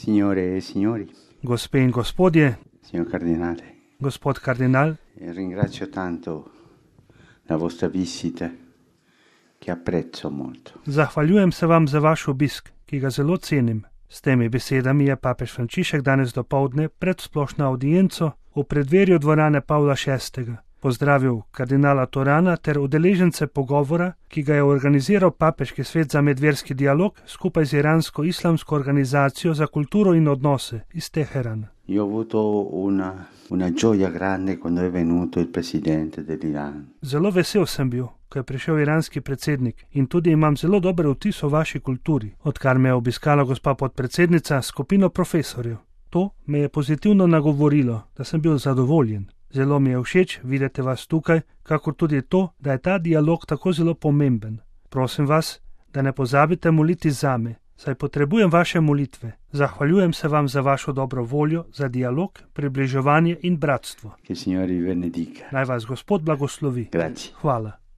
Signore e signori, Gospe in gospodje, signor Cardinale, gospod kardinal, ringrazio tanto la vostra visita, che apprezzo molto. zahvaljujem se vam za vaš obisk, ki ga zelo cenim. S temi besedami je papež Frančišek danes dopoldne pred splošno audienco v predverju dvorane Pavla VI. Pozdravil kardinala Torana ter udeležence pogovora, ki ga je organiziral Papeški svet za medverski dialog skupaj z iransko-islamsko organizacijo za kulturo in odnose iz Teherana. Io ho avuto una gioia grande quando è venuto il presidente dell'Iran. Zelo vesel sem bil, ko je prišel iranski predsednik in tudi imam zelo dober vtis o vaši kulturi, odkar me je obiskala gospa podpredsednica skupino profesorjev. To me je pozitivno nagovorilo, da sem bil zadovoljen. Zelo mi je všeč videti vas tukaj, kakor tudi to, da je ta dialog tako zelo pomemben. Prosim vas, da ne pozabite moliti zame, saj potrebujem vaše molitve. Zahvaljujem se vam za vašo dobro voljo, za dialog, približevanje in bratstvo. Che il Signore vi benedica. Naj vas Gospod blagoslovi. Grazie. Hvala.